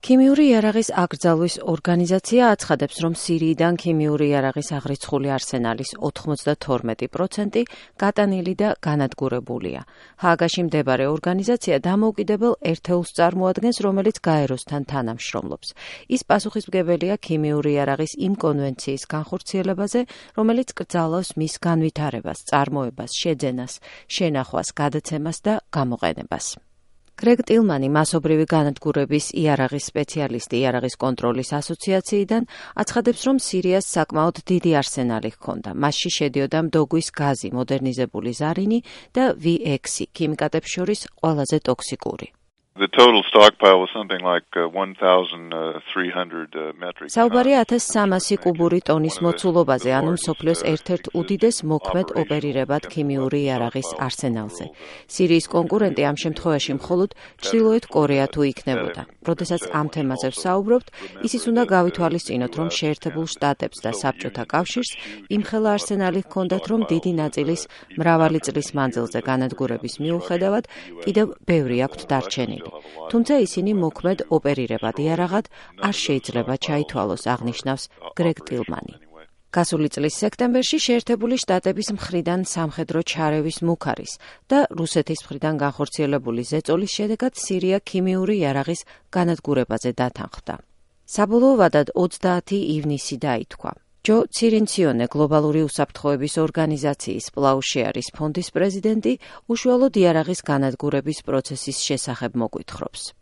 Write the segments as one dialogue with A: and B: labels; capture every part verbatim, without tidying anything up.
A: ქიმიური იარაღის აკრძალვის ორგანიზაცია აცხადებს, რომ სირიიდან ქიმიური იარაღის აღრიცხული არსენალის ოთხმოცდათორმეტი პროცენტი გატანილი და განადგურებულია. ჰააგაში მდებარე ორგანიზაცია დამოუკიდებელ ერთეულს წარმოადგენს, რომელიც გაეროსთან თანამშრომლობს. ის პასუხისმგებელია ქიმიური იარაღის იმ კონვენციის განხორციელებაზე, რომელიც კრძალავს მის განვითარებას, წარმოებას, შეძენას, შენახვას, გადაცემას და გამოყენებას. გრეგ ტილმანი, მასობრივი განადგურების იარაღის სპეციალისტი იარაღის კონტროლის ასოციაციიდან, აცხადებს, რომ სირიას საკმაოდ დიდი არსენალი ჰქონდა. მასში შედიოდა მდოგვის გაზი, მოდერნიზებული ზარინი და ვი ექვსი, ქიმიკატებს შორის ყველაზე ტოქსიკური.
B: The total stockpile was something like uh, one thousand three hundred uh, metric tons.
A: საუბარია ათას სამასი კუბური ტონის მოცულობაზე, ანუ მსოფლიოს ერთ-ერთ უდიდეს მოქმედ ოპერირებად ქიმიური იარაღის არსენალზე. სირიის კონკურენტი ამ შემთხვევაში მხოლოდ ჩრდილოეთ კორეა თუ იქნებოდა. როდესაც ამ თემაზე ვსაუბრობთ, ისიც უნდა გავითვალისწინოთ, რომ შეერთებულ შტატებს და საბჭოთა კავშირს იმხელა არსენალი ჰქონდათ, რომ დიდი ნაწილის მრავალი წლის მანძილზე განადგურების მიუხედავად კიდევ ბევრი აქვთ დარჩენილი. თუმცა ისინი მოქმედ ოპერირებად იარაღად არ შეიძლება ჩაითვალოს, აღნიშნავს გრეგ ტილმანი. გასული წლის სექტემბერში შეერთებული შტატების მხრიდან სამხედრო ჩარევის მუქ არის და რუსეთის მხრიდან განხორციელებული ზეწოლის შედეგად სირია ქიმიური იარაღის განადგურებაზე დათანხმდა. საბოლოო ვადად ოცდაათი ივნისი დაითქვა. ჯო ცირინციონე, გლობალური უსაფრთხოების ორგანიზაციის პლაუშეარის ფონდის პრეზიდენტი, უშუალოდ იარაღის განადგურების პროცესის შესახებ მოგვითხრობს.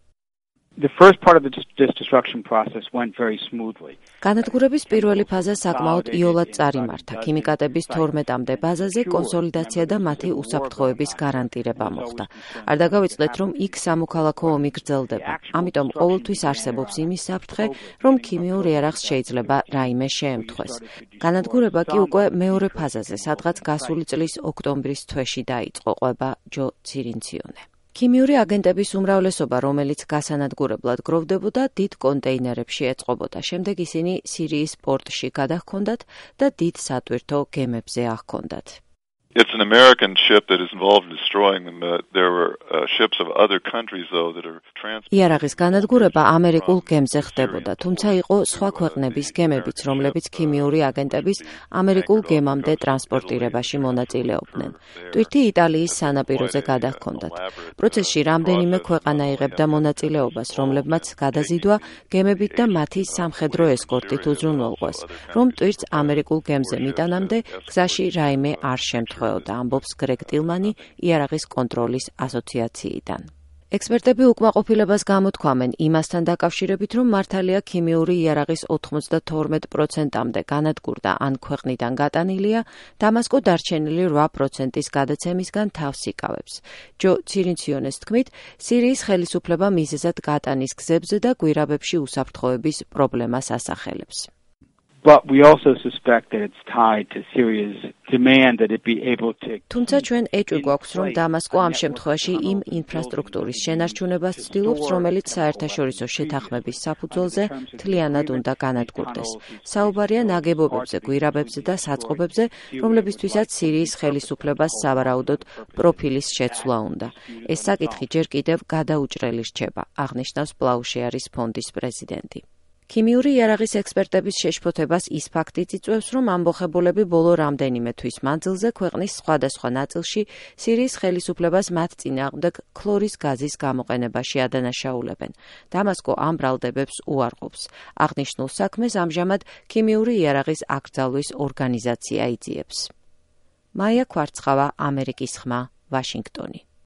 C: The first part of this destruction process went very smoothly.
A: განადგურების პირველი ფაზა საკმაოდ იოლად წარიმართა. ქიმიკატების თორმეტამდე ბაზაზე კონსოლიდაცია და მათი უსაფრთხოების გარანტირება მოხდა. არ დაგავიწყდეთ, რომ იქ სამოქალაქო ომი გრძელდება. ამიტომ ყოველთვის არსებობს იმის საფრთხე, რომ ქიმიურ იარაღს შეიძლება რაიმე შეემთხვეს. განადგურება კი უკვე მეორე ფაზაზე, სადღაც გასული წლის ოქტომბრის თვეში დაიწყო, ყვება ჯო ცირინციონე. ქიმიური აგენტების უმრავლესობა, რომელიც გასანადგურებლად გროვდებოდა, დიდ კონტეინერებში ეწყობოდა. შემდეგ ისინი სირიის პორტში გადაჰქონდათ და დიდ სატვირთო გემებზე აჰქონდათ.
B: It's an American ship that is involved in destroying them. Uh, there were uh, ships of other countries, though, that are transported.
A: იარაღის განადგურება ამერიკულ გემზე ხდებოდა, თუმცა იყო სხვა ქვეყნების გემებიც, რომლებიც ქიმიური აგენტების ამერიკულ გემამდე ტრანსპორტირებაში მონაწილეობდნენ. ტვირთი იტალიის სანაპიროზე გადაჰქონდათ. პროცესში რამდენიმე ქვეყანა იღებდა მონაწილეობას, რომლებმაც გადაზიდვა გემებით და მათი სამხედრო ესკორტით უზრუნველყვეს, რომ ტვირთს ამერიკულ გემზე მიტანამდე გზაში რაიმე არ შემთხვევა. ამბობს გრეგ ტილმანი იარაღის კონტროლის ასოციაციიდან. ექსპერტები უკმაყოფილებას გამოთქვამენ იმასთან დაკავშირებით, რომ მართალია ქიმიური იარაღის ოთხმოცდათორმეტ პროცენტამდე განადგურდა ან ქვეყნიდან გატანილია, დამასკო დარჩენილი რვა პროცენტის გადაცემისგან თავს იკავებს. ჯო ცირინციონეს თქმით, სირიის ხელისუფლება მიზეზად გატანის გზებზე და გვირაბებში უსაფრთხოების პრობლემას ასახელებს.
C: But we also suspect that it's tied to Syria's demand that it be able to.
A: თუმცა ჩვენ ეჭვი გვაქვს, რომ დამასკო ამ შემთხვევაში იმ ინფრასტრუქტურის შენარჩუნებას ცდილობს, რომელიც საერთაშორისო შეთანხმების საფუძველზე მთლიანად უნდა განადგურდეს. საუბარია ნაგებობებზე, გვირაბებზე და საწყობებზე, რომლებისთვისაც სირიის ხელისუფლებას სავარაუდოდ პროფილის შეცვლა უნდა. ეს საკითხი ჯერ კიდევ გადაუჭრელი რჩება, აღნიშნავს პლაუშეარის ფონდის პრეზიდენტი. ქიმიური იარაღის ექსპერტების შეშფოთებას ის ფაქტიც იწვევს, რომ ამბოხებულები ბოლო რამდენიმე თვის მანძილზე ქვეყნის სხვადასხვა ნაწილში სირიის ხელისუფლებას მათ წინააღმდეგ ქლორის გაზის გამოყენებაში ადანაშაულებენ. დამასკო ამ ბრალდებებს უარყოფს. აღნიშნულ საქმეს ამჟამად ქიმიური იარაღის აკრძალვის ორგანიზაცია იძიებს. მაია ქვარცხავა, ამერიკის ხმა, ვაშინგტონი.